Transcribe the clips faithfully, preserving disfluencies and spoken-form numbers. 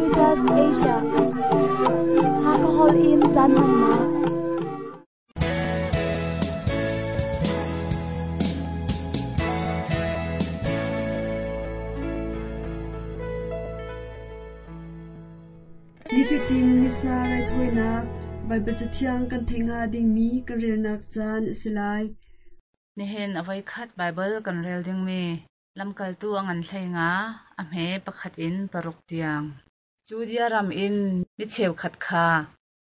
Caritas Asia. Hakahol in caan hmannak. Nifatin Missa raithawinak Baibal Cathiang kan theih hnga dingmi kan relnak caan a si lai. Nihin a voikhat Baibal kan rel dingmi lamkaltu a ngan hlei nga a hme pakhat in paruk tiang. Judea ram in mi cheukhat kha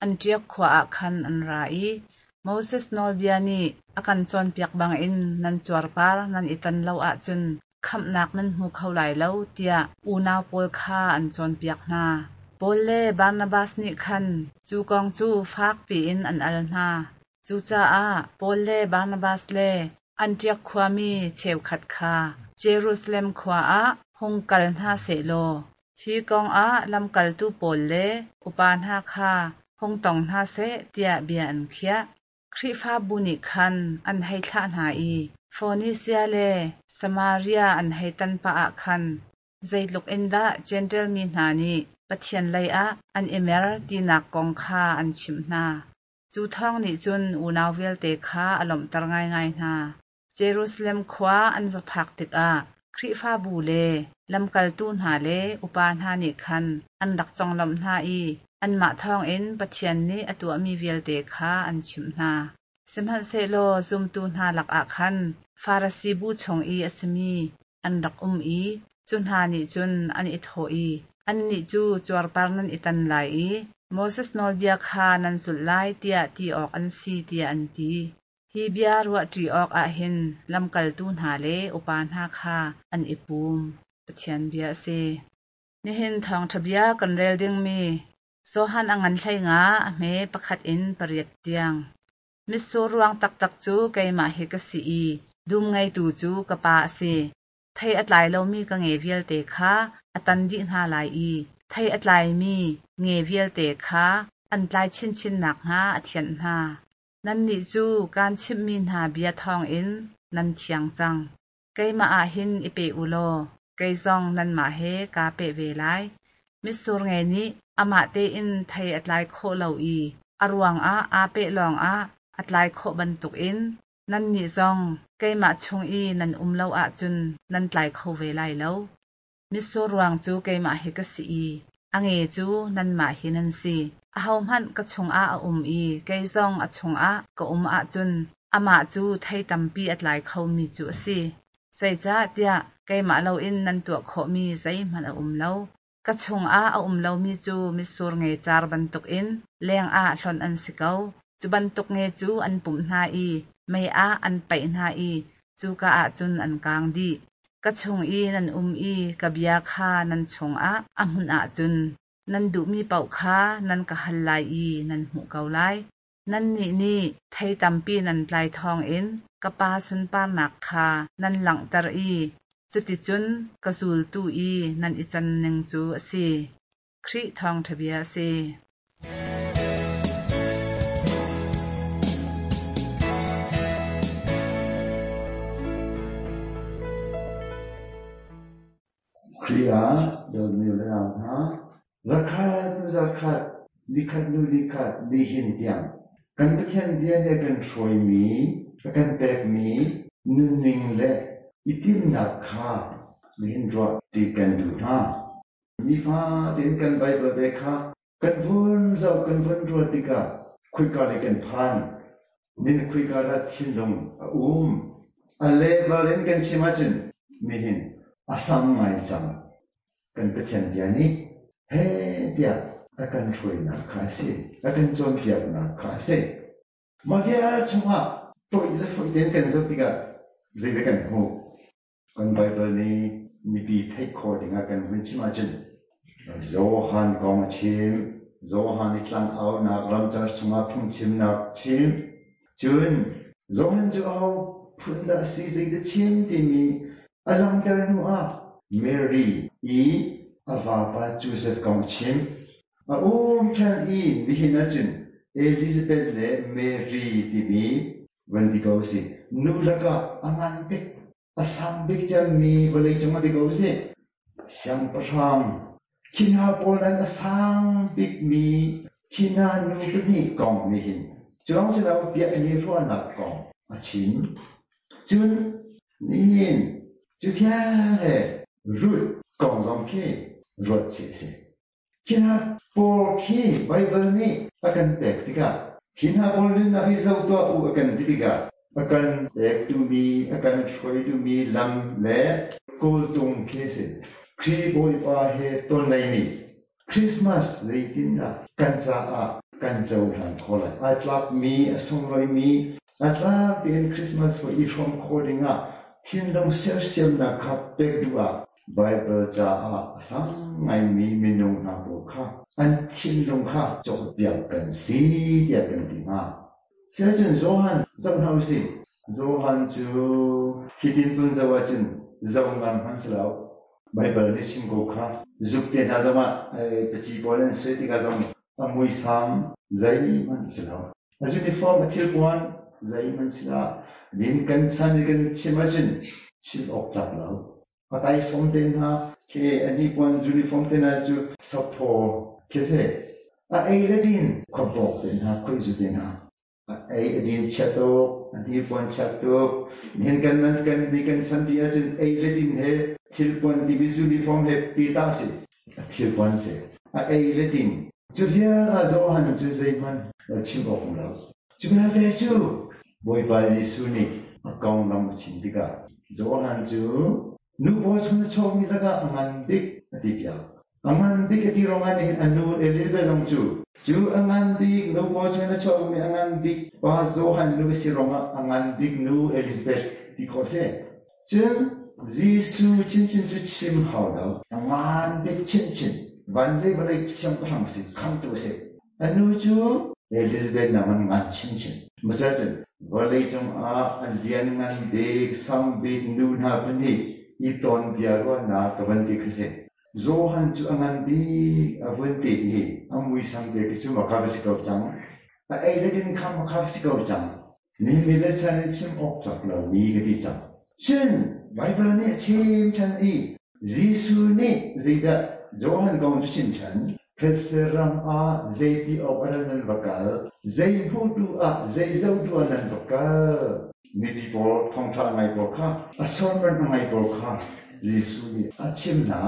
Antiok khua ah khan an ra i Moses nawlbia nih a kan cawnpiak bangin nan cuarpar nan i tan lo ahcun khamhnak nan hmu kho lai lo tiah unau pawl kha an cawnpiak hna. Paul le Barnabas nih khan cu kong cu fak piin an al hna. Cucaah Paul le Barnabas le Antiok khuami cheukhat kha Jerusalem khua ah hung kal hna sehlaw hi kong ah lamkaltu pawl le upa hna kha hung tong hna seh tiah bia an khiah. Khrihfabu nih khan an hei thlah hna i Fonisia le Samaria an hei tan pah ah khan zeitluk in dah Jentail mi hna nih Pathian lei ah an i mer tinak kong kha an chimh hna. Cu thawng nih cun unau vialte kha a lawmhter ngaingai hna. Jerusalem khua an va phak tikah Khrihfabu le lamkaltu hna le upa hna nih khan an rak conglawmh hna i anmah thawngin Pathian nih a tuahmi vialte kha an chimh hna. Sihmanhsehlaw zumtu hna lakah khan Farasi bu chung i a simi an rak um i cu hna nih cun an i thawh i annih cu cuarpar nan i tan lai i Moses nawlbia kha nan zulh lai tiah ti awk an si tiah an ti. Hi bia ruahṭi awk ah hin lamkaltu hna le upa hna kha an i pum. Pathian bia a si. Nihin thawngṭha bia kan rel dingmi Johan a ngan hlei nga a hme pakhat in pariat tiang. Mitsur ruang taktak cu keimah hi ka si i dum ngeitu cu ka pa a si. Thei a tlai lomi ka nge vialte kha a tan dih hna lai i thei a tlaimi nge vialte kha an tlai chinchin nakhnga a thianh hna. Nannih cu kaan chimhmi hna bia thawngin nan thiang cang. Keimah ah hin i pe u law kei zong nanmah he kaa pe ve lai. Mitsur nge nih amah tein thei a tlai khawh lo i a ruangah aa peh lawngah a tlai khawh bantukin nannih zong keimah chung i nan um lo ahcun nan tlai kho ve lai lo. Mitsur ruang cu keimah hi ka si i a nge cu nanmah hi nan si. Ahohmanh ka chungah a um i kei zong a chungah ka um ahcun amah cu thei tampi a tlai khomi cu a si. Zeicahtiah keimah loin nan tuah khawhmi zeihmanh a um lo. Ka chungah a um lomi cu mitsur nge car bantukin lengah hlonh an si ko. Cu bantuk nge cu an pumh hna i mei ah an paih hna i cuka ah cun an kaang dih. Ka chung i nan um i ka bia kha nan chungah a hmunh ahcun nan duhmi paoh kha nan ka hal lai i nan hmuh ko lai. Nannih nih thei tampi nan tlai thawngin ka Pa sunparnak kha nan langhter i cuticun ka zultu i nan i can ning cu a si. Khrih thawngṭha bia a si. Khrih ah dawtmi le nau hna, zarkhat hnu zarkhat, nikhat hnu nikhat, nihin tiang kan Pathian bia nih a kan hruaimi, a kan pekmi nunning le i timhnak kha nihin ruah ti kan duh hna. Nifatin kan Baibal ve kha kan vun zoh kan vun ruat tikah khuika lei kan phan, nin khuika dah thinlung a um. A level in kan chim ahcun nihin a sang ngai cang. Kan Pathian bia nih he tiah a kan hruainak kha a si, a kan cawnpiaknak kha a si. Mah vial chungah toih le foih tein kan zoh tikah zeidah kan hmuh? Kan Baibal nih mipi theih khawh dingah kan hun chim ahcun Johan kong a chim, Johan i tlangaunak ramcar chungah phungchimnak chim, cun Johan cu aho phun dah a si, zeidah chim timi a langhter hnu ah Mary i a vapa Joseph kong chim. A um ṭhan i nihin ahcun Elizabeth le Mary timi van ti ko si. Nu lakah a ngan bik, a sang bik cemmi vawleicung ah ti ko si. Siangpahrang Khi hna pawl an a sang bikmi khi hna nu pahnih kong nih hin cu lawng si lo biakinn i ruahnak kong a chim. Cun nihin cu vialte Ruth kong zong khi ruat chih a si. Khi hna pawl khi Baibal nih a kan pek tikah khi hna pawl nunnak hi zoh tuah u a kan ti tikah a kan pek duhmi, a kan hruai duhmi lam le kawltung khi a si. Khrih Bawipa he ton ni Christmas zeitindah kan caah kan cohlan khawh lai. Ai tlakmi, a sunglawimi, a tlak tein Christmas for i hrawm khawh dingah thinlung sersiamnak kha pek duh ah Bible caah a sang ngaimi minung hna pawl kha an thinlung kha cawnpiak kan si tiah kan ti hna. Siahcun Johan zoh hna usih. Johan cu hitin tun zoh ahcun zoh ngan hmanh si lo. Bible nih chim ko kha zuk te hna zongah paci pawl an sui tikah zong a muisam zeihmanh si lo. A uniform a thilpuan zeihmanh si lo. Din kan chan i kan chim ahcun chim awk tlak lo. A taisawm te hna khi a hnipuan uniform te hna cu saphaw khi si. A ei le din khuabawk te hna khuaizu te hna. A ei a din chiat tuk, a hnipuan chiat tuk. Nihin kan nan kan ni kan chan ti ahcun ei le din he thilpuan timi uniform he peta si. A thilpuan si. A ei le din. Cu vial ah Johan cu zeihmanh chim awk um lo. Cu vialte cu Bawipa Jesuh nih a konglam a chim tikah Johan cu nu pawl chung a chuakmi lakah a ngan bik a ti piak. A ngan bik a ti ruangah nihin a nu Elizabeth zong cu cu a ngan bik nu pawl chung a chuakmi a ngan bik pa Johan nu a si ruangah a ngan bik nu Elizabeth ti khawh si. Cun Jesuh chinchin cu chim hau lo. A ngan bik chinchin. Van le vawlei siangpahrang si, khamtu si. A nu cu Elizabeth naman ngan chinchin. Macacun vawlei cungah a lian ngan bik, sang bik nu hna pahnih i ton bia ruahnak ka van ti khi si. Johan cu a ngan bik a vun ti i a muisam te khi cu maka va si ko cang. A ei le din kha maka va si ko cang. Nihin mi le chan in chim awk cak lo mi ka ti cang. Cun Bible nih a chim ṭhan i Jesuh nih zeidah Johan kong cu chim ṭhan. Thetse ram ah zeiti awk ah nan va kal, zei hmutu ah zei zotu ah nan va kal. Mipi pawl thawngṭha ngai pawl kha a sermon a ngai pawl kha Jesuh nih a chim hna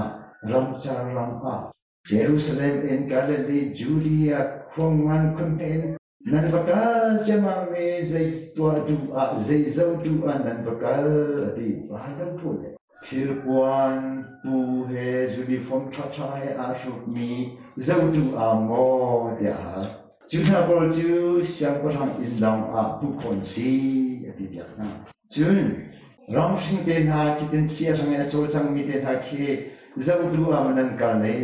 ramcar ram ah Jerusalem in Galilee, Judea khuangan khunhme in nan va kal ciammam i zei tuah duh ah zei zoh duh ah nan va kal a ti. Va lo phu le. Thilpuan pu he uniform ṭhaṭha he aa hrukmi zoh duh ah maw tiah a hal. Cu hna pawl cu siangpahrang inn lawng ah hmuh khawh an si a ti piak hna. Cun ramhring te hna khitin thli a hrang i a cawlcangmi te hna khi zoh duh ah maw nan kal ne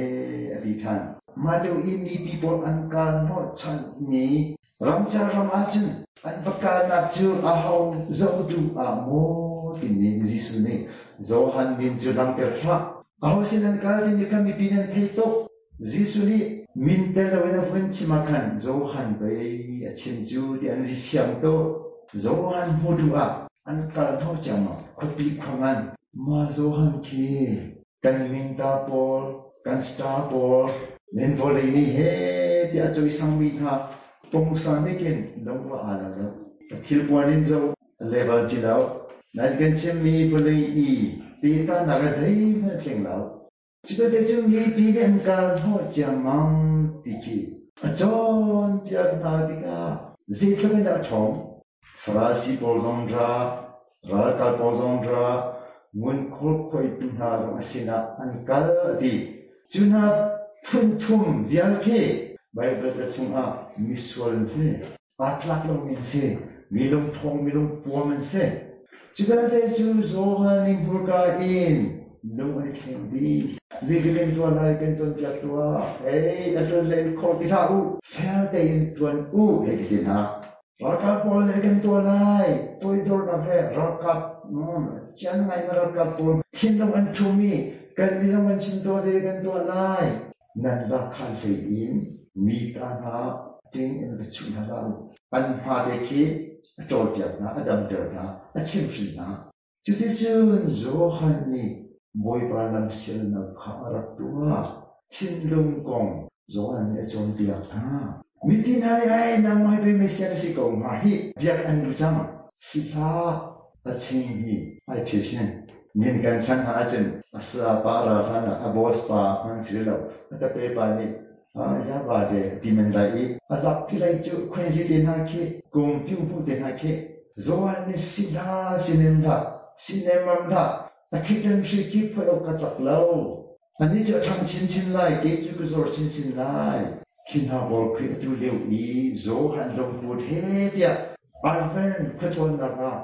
a ti ṭhan. Mah lio i mipi pawl an kal hnawhchanmi ramcar ram ahcun an va kalnak cu aho zoh duh ah maw timi Jesuh nih Johan min cu langhter hlah. Aho sin an kal timi kha mipi nan thei tuk. Jesuh nih min tel loin a vun chim ah khan Johan pei a chim cu ti an ri fiang tuk. Johan hmuh duh ah an kal hnawh ciammam. Khuapi khuangan. Mah Johan khi kan mingta pawl, kan star pawl, nen vawlei nih he tiah a cawisangmi hna pungsan nih khin lungva aa lo lo. Thilpuan in zoh level ti lo. Nan kan chimmi vawlei i pehtanak ah zeihmanh a tling lo. Cubelte cu mipi nih an kal hnawh ciammam ti khi a cawnpiak hna tikah zeitluk in dah a ṭhawng. Farasi pawl zong ra, ralkap pawl zong ra, ngunkhawl khuaitu hna zong a sinah an kal a ti. Cu hna phun thum vial khi Baibal ca chungah misual an si, aa tlak lomi an si, mi lungṭhawng, mi lungpuam an si. Cu vialte cu Johan nih hmurka in lung an i thleng dih. Zeitik in tuan lai kan cawnpiak tuah. Ei, a ṭuan le in khor ti hlah u. Fel tein ṭuan u, hei ti hna. Ralkap pawl nih kan tuah lai. Toidornak he ralkap, cian ngai na ralkap pawl thinlung an ṭhum i kan nih zong kan chim tuah te kan tuah lai. Nan zakhan hlei in mi ta hna ting in va chuh hna hlah u. An hma te khi a ṭawlpiak hna, a damter hna, a chimhhrin hna. Cuticun Johan nih Bawipa lamsialnak kha a rak tuah. thinlung kong Johan nih a cawnpiak hna. Mipi hna nih ai nangmah hi pei Messiah na si ko hnga hi biak an duh cang. Sihlah a ching hi ai phisin. Nin kan chan hna ahcun a sa pa ra hlan ah a boss pa hmang si lo a tape pa nih ya ba de ti men lai i a lak ti lai cu khwen te hna khi kum piu pu te hna khi Johan nih sihlah sinem hlah sinem mam hlah a khitan hri khi phoi ok ka tlak lo. Ani cu a ṭhang chinchin lai, kei cu ka zor chinchin lai. Khi hna pawl khi atu lio i Johan lungput he tiah Advent khuacawnnak ah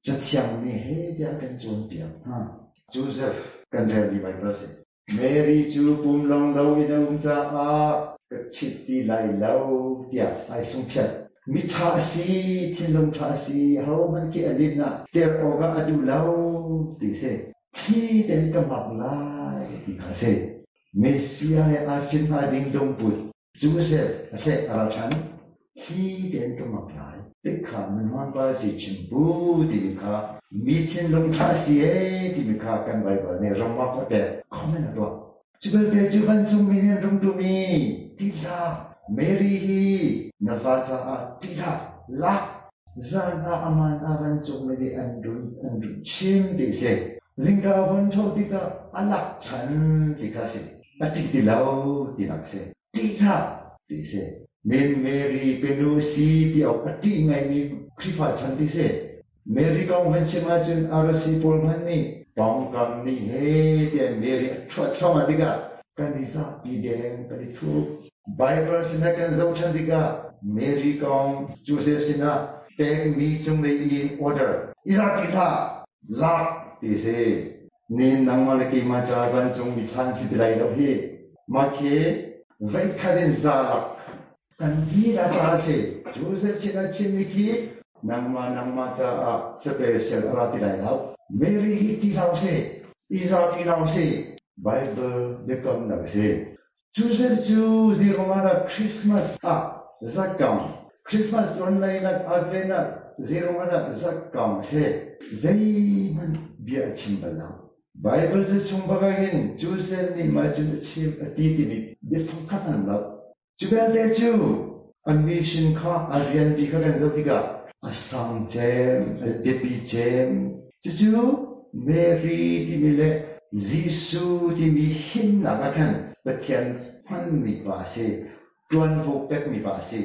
Cathiang nih he tiah kan cawnpiak hna. Joseph kan relmi Bible si. Mary cu pum long lo in a um caah ka chit ti lai lo tiah ai sungphiat. Mi ṭha a si, thinlung ṭha a si, hohmanh khi a lin ah ter awk ah a duh lo ti si. Khi ten ka mak lai ti kha si. Messiah he aa fin hnga ding lungput Joseph a hleh a ra ṭhan. Khi ten ka mak lai. Tikha minhwan pa si chimpu timi kha mi thinlung ṭha si ee timi kha kan Bible nih remark a pek comment a tuah. Cu belte cu vancungmi nih an rung tum i ti hlah Mary hi na fa caah ti hlah lak zan ah aman ah vancungmi nih an run an run chim ti si. Zingka a vun tho tikah a lak ṭhan ti kha si. A ṭih ti lo tinak si. Ṭih hlah ti si. Min Mary kanu si ti awk a ṭih ngaimi Khrihfa chan ti si. Mary kong van chim ahcun R C pawl hmanh nih pawngkam nih he tiah Mary a ṭhuat thluahmah tikah kan i zapi deng kan i thup. Bible sinah kan zoh ṭhan tikah Mary kong Joseph sinah pekmi cunglei in order i zapi hlah lak ti si. Nin nangmah le keimah ca vancung mi thlan si ti lai lo hi. Mah khi veikhat in za lak kan lila caah si. Joseph sinah chimmi khi nangmah nangmah caah special a ra ti lai lo. Mary hi ti hlah usih, i zapi hlah usih. Bible biakamnak a si. Joseph cu zeiruangah Christmas ah zakkam, Christmas online Advent ah zeiruangah zakkam a si. Zeihmanh bia a chim bal lo. Bible ca chung bak ahhin Joseph nih mah cun a chim a ti timi biafang khat an lo. Cu belte cu a mission kha a rianpi kha kan zoh tikah a sang cem, a biapi cem. Cucu Mary timi le Jesuh timi himnak ah khan Pathian hmanmi pa a si, ṭuanvo pekmi pa a si.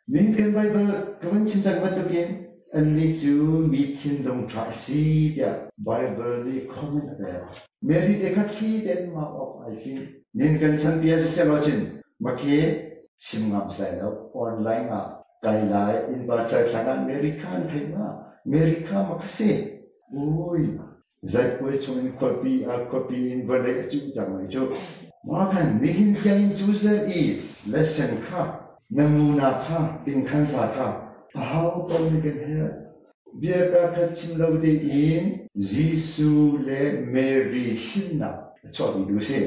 Nihin kan Bible ka van chim cang bantukin annih cu mi thinlung ṭha a si tiah Bible nih comment a pek. Mary te kha thli tein mak awk ai fim. Nihin kan chanpi ah siseh law cun makhe chim ngam sai lo online ah kai lai innpa caithlang ah Mary kha an theih ma Mary kha ma kha si. Ui zaipuai chungin khuapi ah khuapi in vawlei a cuh cang lai cu. Mah khan nihin tiangin Joseph i lesson kha namuna kha tingkhansa kha aho paoh nih kan herh. Bia ka khat chim lo tein Jesuh le Mary himnak a chuahpi tu si.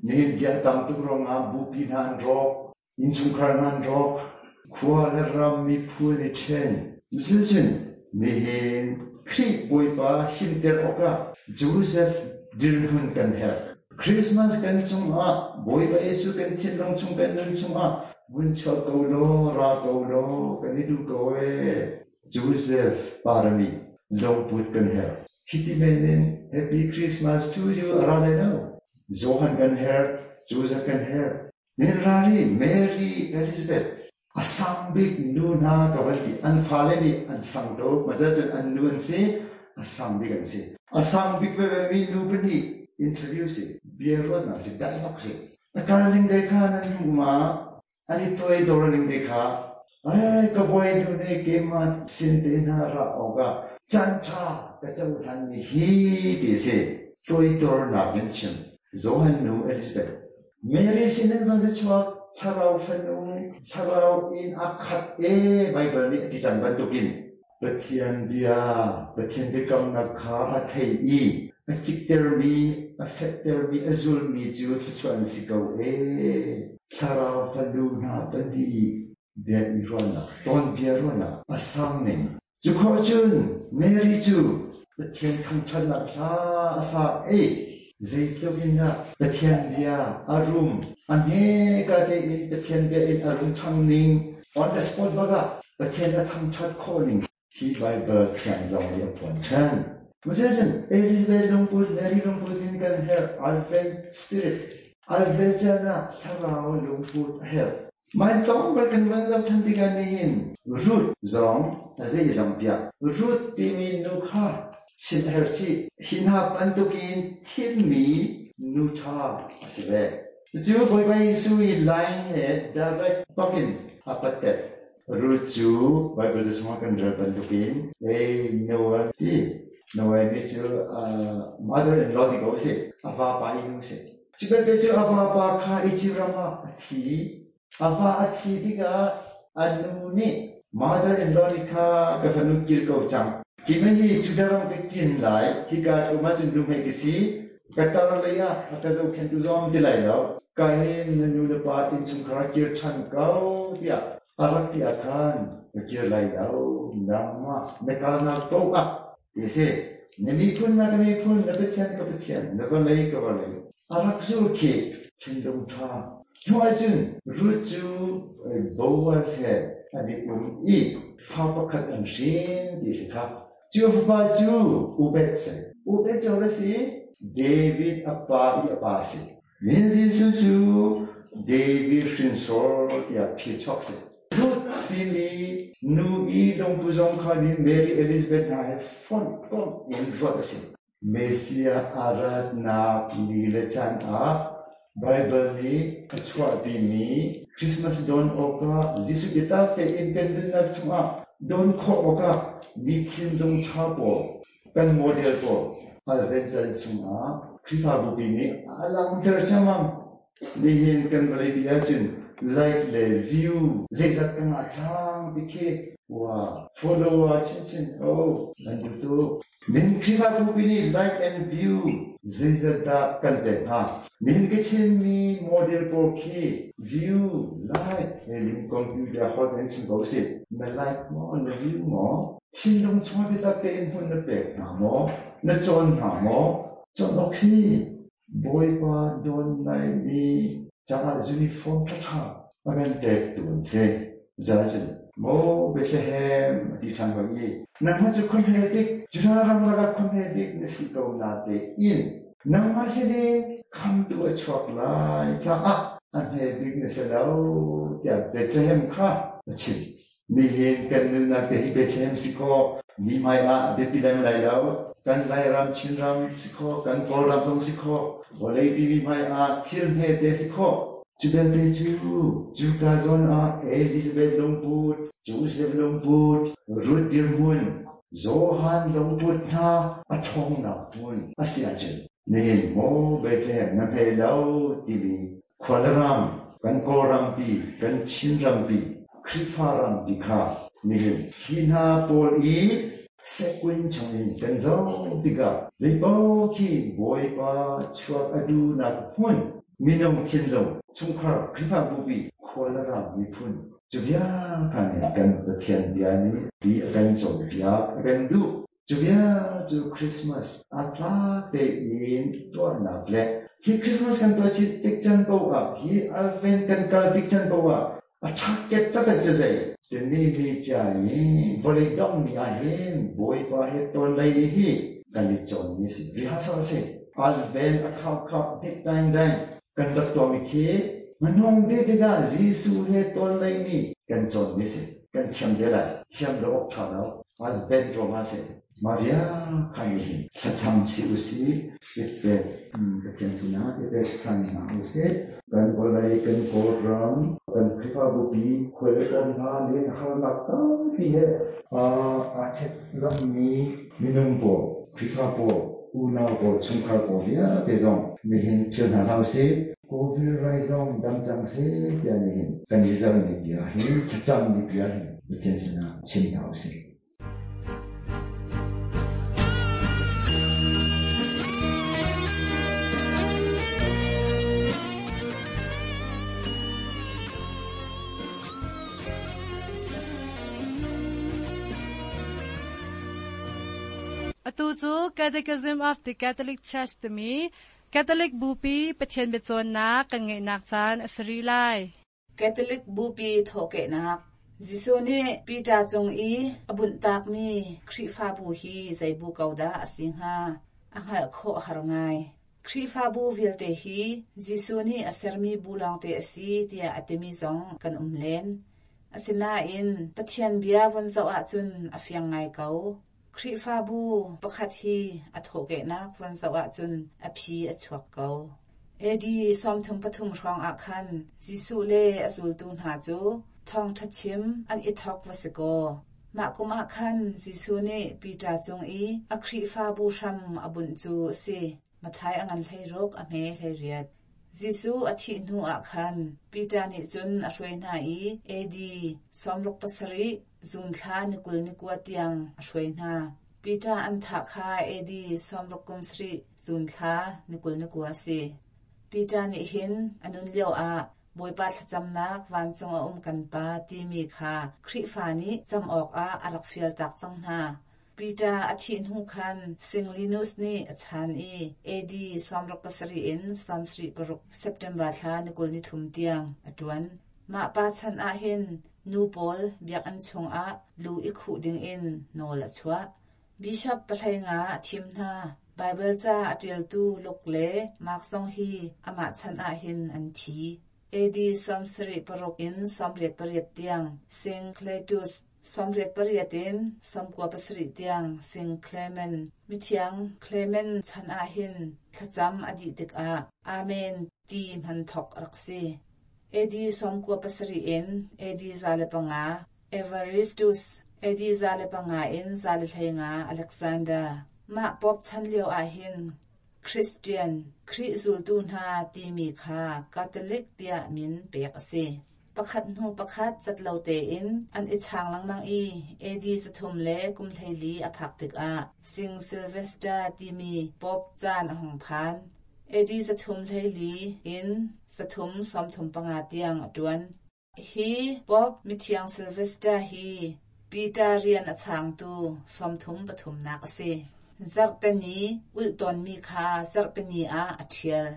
Nihin bia tam tuk ruangah bupi hna an rawk, innchungkhar hna an rawk, khua le ram miphun i ṭhen. Cucun nihin Khrih Bawipa himter awkah Joseph dirhmun kan herh. Christmas kan cungah Bawipa Jesuh kan thinlung chung kan nun chungah vun chuak ko law, ra ko law, kan i duh ko ee. Joseph parami lungput kan herh. Hiti men in Happy Christmas to you a ra lai lo. Johan kan herh, Joseph kan herh. Mary, Mary, Elizabeth, a sang bik nu hna ka van ti. An fale nih an sang tuk. Macun an nu an si, a sang bik an si. A sang bik veve mi nu pahnih interview si, bia ruahnak si, dialogue si. A kal ning te kha nan hmuh ma? An i toidor ning te kha. Ai, ka bawi nu nih keimah sin te hna ra awkah caan ṭha ka cohlan mi hi ti si. Toidornak in chim. Johan nu Elizabeth. Mary sinin zong te chuak thlarau fanu, thlarau in a khat e Bible nih a ti cang bantukin Pathian bia, Pathian biakamnak kha a thei i a kiktermi, a fettermi, a zulmi cu thluachuah an si ko e. Thlarau fanu hna pahnih bia i ruahnak, tawn bia ruahnak a sang ning. Cu khawh cun Mary cu Pathian thangṭhatnak hla a sa e. Zeitluk in dah Pathian bia a rum a hme ka tein Pathian bia in a rum ṭhang ning on the spot bak ah Pathian a thangṭhat khawh ning hi Bible thiang zong nih a phuan ṭhan. Musicun Elizabeth lungput Mary lungput in kan herh Advent spirit Advent caan ah thlarau lungput a herh. Mai tlawng bal kan van zoh ṭhan tikah nihin Ruth zong a zei zong piak. Ruth timi nu kha chim a herh chih. Hi hna bantukin thimmi nu ṭha a si ve. Cucu Bawipa Jesuh i line he direct bakin a pattet. Ruth cu Bible cu chungah kan rel bantukin ei Noah ti Noemi cu mother-in-law ti ko si. A vapa i nu si. Cu belte cu a vapa kha Egypt ram ah a thi. A va a thi tikah a nu nih mother-in-law nih kha ka fanu kir ko cang. Hi hi Judah ram ka ṭin lai. Hika um ahcun nuhmei ka si. Ka tar lei ah a ka zohkhenhtu zong ti lai lo. Ka hin na nu le pa innchungkhar kir ṭhan ko tiah a rak ti ah khan ka kir lai lo. Nangmah na kalnak paoh ah ti si. Na miphun na ka miphun, na Pathian ka Pathian, na vawlei ka vawlei. A rak zul khi thinlung ṭha. Hnu ahcun Ruth cu Boaz he an i um i fa pakhat an hrin ti si kha. Cu fapa cu Obed si. Obed cu a si David a pa i a pa si. Min Jesuh cu David hrinsor tiah phichuak si. Ruth timi nu i lungpu zong kha nih Mary Elizabeth hna he fonh komh in ruat a si. Messiah a ratnak ni le caan ah Bible nih a chuahpimi Christmas don awkah Jesuh biatak tein kan nunnak chungah don khawh awkah mi thinlung ṭha pawl kan model pawl Advent caan chungah Khrihfabu pi nih a langhter ciammam. Nihin kan vawlei pi ahcun like le view zeizat ka ngah cang ti khi wa follower chinchin oh nan duh tuk. Min Khrihfabu pi nih like and view zeizat dah kan pek hnga? Min ka chimmi model pawl khi view, like he lim computer hot in chim ko si. Na like maw, na view maw? Thinlung chung biatak tein hmun na pek hna maw? Na cawn hna maw? Cawn awk hi Bawipa dawn laimi caah uniform ṭhaṭha a kan pek tu an si. Zacun maw Bethlehem a ti ṭhan hoi i nangmah cu khuahme bik Judah ram lakah khuahme bik na si ko na tein nangmah sinin khamtu a chuak lai caah a hme bik na si lo tiah Bethlehem kha a chim. Nihin kan nunnak te hi Bethlehem si kaw mi hmai ah biapi lem lai lo. Kan Lairam, Chinram si khaw, kan Kawlram zong si khaw, vawleipi mi hmai ah thil hme te si khaw. Cu belte cu cuka zawn ah Elizabeth lungput, Joseph lungput, Ruth dirhmun, Johan lungput hna a ṭhawngnak hmun a si ahcun nihin maw Bethlehem na hme lo timi khualram, kan Kawlrampi, kan Chinrampi, Khrihfa rampi kha nihin hi hna pawl i sequin chungin kan zoh tikah zeipaoh khi Bawipa chuak a duhnak hmun minung thinlung chungkhar Khrihfabu khualram miphun cu bia kha nih kan Pathian bia nih ti a kan cawnpiak a kan duh. Cu bia cu Christmas a tlak tein tuahnak le hi Christmas kan tuah chih tik can paoh ah hi Advent kan kal tik can paoh ah a ṭhaket taktak cu zei tuni mi ca i vawlei dongmi ah hin Bawipa he ton lei ni hi kan i cawnmi a si. Rehearsal a si. Advent a khau khau hnik daing daing kan rak tuahmi khi hmanung bik tikah Jesuh he ton lei ni kan cawnmi a si. Kan thiam te lai. Thiam lo awk ṭha lo. Advent ruangah a si. Maria kha nih hin thlacam chih usih, ipet Pathian sinah ipet ṭhan hna usih. Kan vawlei, kan Kawlram, kan Khrihfabu pi khual le kawm hna nih harnak tampi he aa ṭhek lammi minung pawl, Khrihfa pawl, unau pawl, chungkhar pawl vialte zong nihin philh hna hlah usih. Covid rai zong dam cang seh tiah nihin kan i zalmi bia hi, thlacammi bia hi Pathian sinah chim hna usih. Atu cu Catechism of the Catholic Church timi Catholic Bupi Pathian biacawnnak kan ngeihnak caan a si rih lai. Catholic Bupi thawhkehnak Jesuh nih Peter cung i a bunhtakmi Khrihfabu hi zei bu ko dah a si hnga? A hngalh khawh har ngai. Khrihfabu vialte hi Jesuh nih a sermi bu lawngte a si tiah a timi zong kan um len. Asinain Pathian bia von zoh ahcun a fiang ngai ko. Khrihfabu pakhat hi a thawhkehnak von zoh ahcun a phi a chuak ko. A D sawmthum pathum hrawng ah khan Jesuh le a zultu hna cu thawngṭha chim an i thawk va si kaw. Mah kum ah khan Jesuh nih Peter cung i a Khrihfabu hram a bunh cu a si. Matthai a ngan hlei ruk a hme hlei riat. Jesuh a thih hnu ah khan Peter nih cun a hruai hna i A D sawmruk pasarih zun thla ni kul ni kua tiang a hruai hna. Peter an thah kha A D sawmruk kum sarih zun thla ni kul ni kua a si. Peter nih hin a nun lio ah Bawipa thlacamnak vancung a um kan pa timi kha Khrihfa nih cam awkah a rak fial tak cang hna. Peter a thih hnu khan Saint Linus nih a chan i A D sawmruk pasarih in sawmsarih paruk September thla ni kul ni thum tiang a ṭuan. Mah pa chan ah hin nu pawl biakinn chungah lu i khuh dingin nawl a chuah. Bishop pahlei nga a thim hna. Bible ca a ṭialtu Luke le Mark zong hi amah chan ah hin an thi. A D sawmsarih paruk in sawmriat pariat tiang Saint Cletus, sawmriat pariat in sawmkua pasarih tiang Saint Clement. Mithiang Clement chan ah hin thlacam a dih tikah Amen ti hman thawk a rak si. A D sawmkua pasarih in A D za le panga Evaristus, A D za le panga in za le hlei nga Alexander. Mah Pope chan lio ah hin Christian, Khrih zultu hna timi kha Catholic tiah min pek a si. Pakhat hnu pakhat cat lo tein an i chang lengmang i A D zathum le kum hleili a phak tikah Saint Sylvester timi Pope caan a hung phan. A D zathum hleili in zathum sawmthum panga tiang a ṭuan. Hi Pope mithiang Sylvester hi Peter rian a changtu sawmthum pathumnak a si. Zarhteni ulh tawnmi kha zarhpini ah a ṭhial.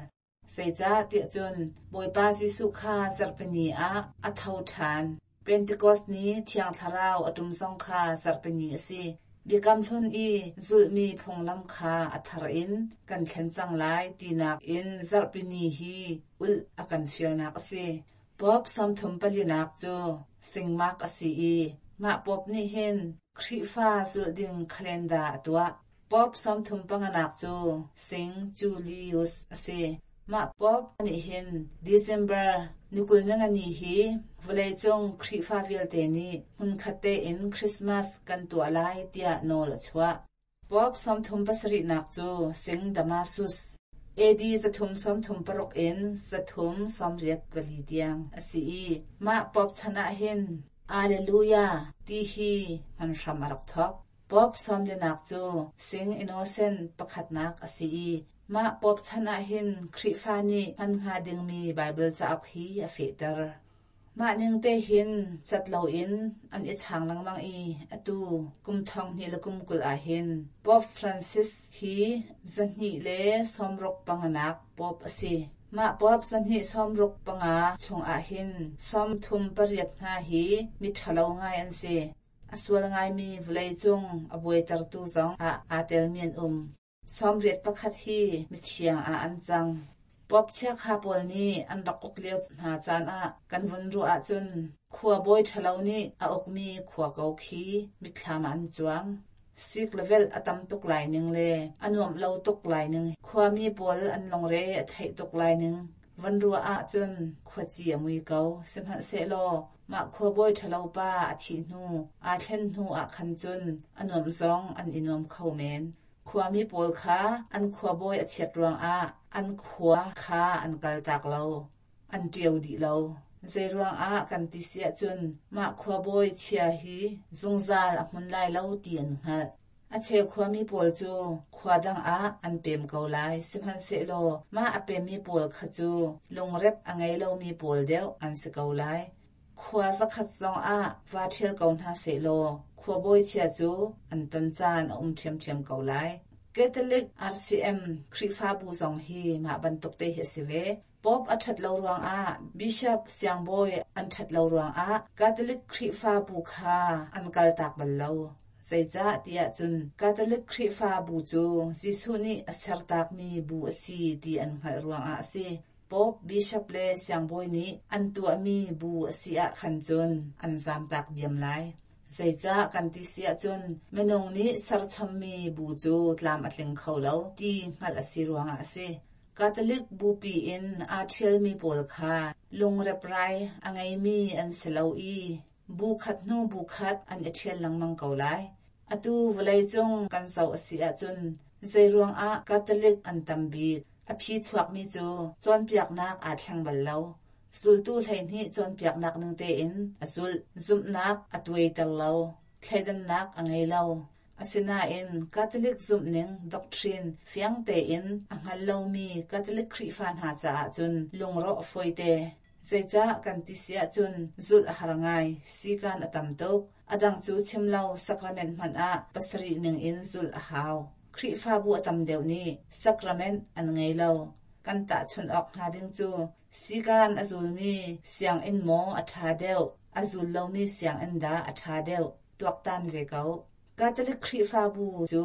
Zeicah tiah cun Bawipa Jesuh kha zarhpini ah a tho ṭhan. Pentecost ni Thiang Thlarau a ṭum zong kha zarhpini a si. Biakam hlun i zulhmi phunglam kha a thar in kan thlen cang lai tinak in zarhpini hi ulh a kan fialnak a si. Pope sawmthum palinak cu Saint Mark a si i mah Pope nih hin Khrihfa zulh ding calendar a tuah. Pope sawmthum panganak cu Saint Julius a si. Mah Pope nih hin December ni kul ni ngani hi vawleicung Khrihfa vialte nih hmunkhat tein Christmas kan tuah lai tiah nawl a chuah. Pope sawmthum pasarihnak cu Saint Damasus, A D zathum sawmthum paruk in zathum sawmriat pali tiang a si i mah Pope chan ah hin Alleluia ti hi hman hram a rak thawk. Pope sawmlinak cu Saint Innocent pakhatnak a si i mah Pope chan ah hin Khrihfa nih hman hnga dingmi Bible cauk hi a fehter. Mah ning te hin cat loin an i chang lengmang i atu kum thong hnih le kum kul ah hin Pope Francis hi zahnih le sawmruk panganak Pope a si. Mah Pope zahnih sawmruk panga chungah hin sawmthum pariat hna hi miṭhalo ngai an si. A sual ngaimi vawleicung a buaitertu zong ah aa telmi an um. Sawmriat pakhat hi mithiang ah an cang. Pope chiakha pawl nih an rak uk lio hna caan ah kan vun ruah ahcun khua bawi ṭhalo nih a ukmi khua ko khi mitthlam ah an cuang. Sik le velh a tam tuk lai ning le a nuamh lo tuk lai ning, khuami pawl an lungre a theih tuk lai ning. Van ruah ahcun khuaci a mui ko. Sihmanhsehlaw mah khua bawi ṭhalo pa a thih hnu, aa thlen hnu ah khan cun a nuamh zong an i nuam kho men. Khuami pawl kha an khuabawi a chiat ruangah an khua kha an kaltak lo, an ṭio dih lo. Zei ruangah kan ti si ahcun mah khuabawi chia hi zungzal a hmun lai lo ti an hngalh. A cheu khuami pawl cu khua dang ah an pem ko lai. Sihmanhsehlaw mah a pemmi pawl kha cu lungrep a ngei lomi pawl deuh an si ko lai. Khua zakhat zong ah va ṭhial ko hna sehlaw khuabawi chia cu an ton caan a um ṭhiamṭhiam ko lai. Catholic R C M Khrihfabu zong hi mah bantuk te hi a si ve. Pope a ṭhat lo ruangah, Bishop siangbawi an ṭhat lo ruangah Catholic Khrihfabu kha an kaltak bal lo. Zeicah tiah cun Catholic Khrihfabu cu Jesuh nih a sertakmi bu a si ti an hngalh ruangah a si. Pope, Bishop le siangbawi nih an tuahmi bu a si ah khan cun an zamtak diam lai. Zeicah kan ti si ahcun minung nih serchommi bu cu tlam a tling kho lo ti hngalh a si ruangah a si. Catholic bupi in aa ṭhialmi pawl kha lungreprai a ngeimi an si lo i bu khat hnu bu khat an i ṭhial lengmang ko lai. Atu vawleicung kan zoh a si ahcun zeiruangah Catholic an tam bik? A phi chuakmi cu cawnpiaknak aa thleng bal lo. Zultu hleihnih cawnpiaknak ning tein a zulh. Zumhnak a tuaiter lo. Thleidannak a ngei lo. Asinain Catholic zumhning doctrine fiang tein a hngal lomi Catholic Khrihfa hna caah cun lungrawh a fawite. Zeicah kan ti si ahcun zulh a har ngai, sikan a tam tuk. A dang cu chim lo, sacrament hmanh ah pasarih ning in zulh a hau. Khrihfabu a tam deuh nih sacrament an ngei lo. Kan tahchunh awk hnga ding cu sikan a zulmi sianginn maw a ṭha deuh, a zul lomi sianginn dah a ṭha deuh, tuaktan ve ko. Catholic Khrihfabu cu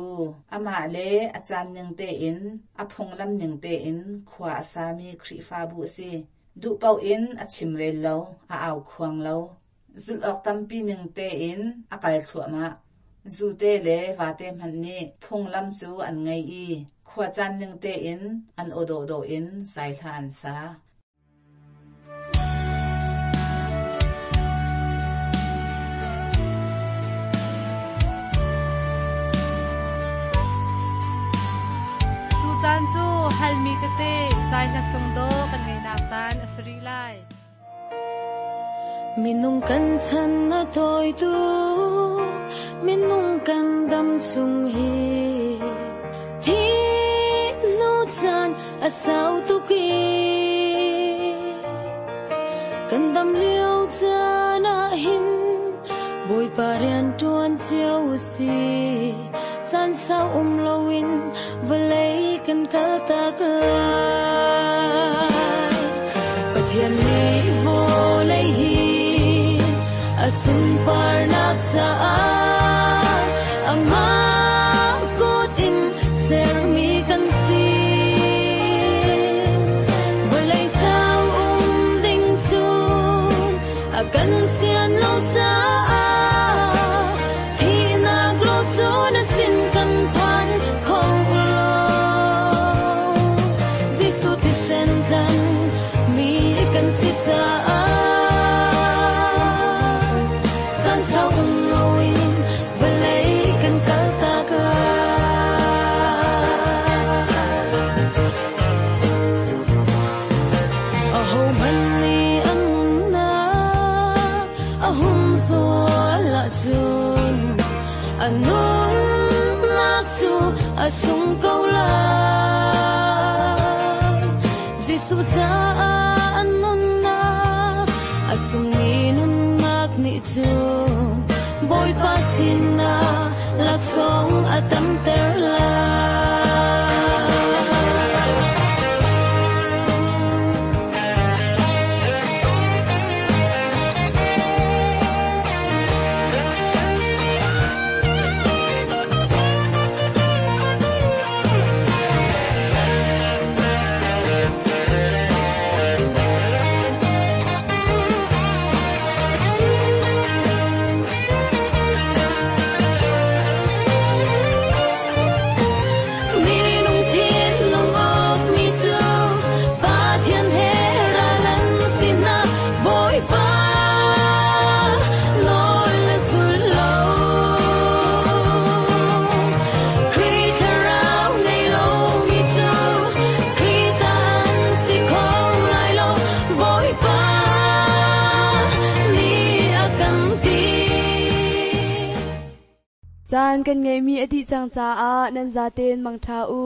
amah le a caan ning tein, a phunglam ning tein khua a sami Khrihfabu a si. Duh paoh in a chimrel lo, a aukhuang lo. Zulh awk tampi ning tein a kal thluahmah. Zute le vate hmanh nih phunglam cu an ngei i khuacaan ning tein an aw dawhdawh in zaihla an sa. Tu caan cu halmi tete zaihla sungdawh kan ngeihnak caan a si rih lai. Minung kan chan a tawi tuk, minung kan dam chung hi thi nu caan a sau tuk i kan dam lio caan ah hin Bawipa rian ṭuan cio u si. Caan sau um loin vawlei kan kal tak lai. Pathian nih vawlei hi a sunparnak caah amah kut in sermi kan si. Vawlei sau um ding cu a kan sian lo caah thihnak lo cu na sin kan phan kho lo. Jesuh thisen tlan mi kan si caah caan sau um loin vawlei kan kal tak lai. Ahohmanh nih an nunnak a humzual ahcun a nunnak cu a sung ko lai. Jesuh caah an nunnak a sungmi nunnak nih cun Bawipa sinah laksawng a tamter lai. Minung thinlung awkmi cu Pathian he ral an si hna. Bawipa nawl a zul lo. Khrih thlarau ngei lomi cu Khrih ta an si kho lai lo. Bawipa nih a kan ti. Caan kan ngeihmi a dih cang caah nan zaten mangṭha u.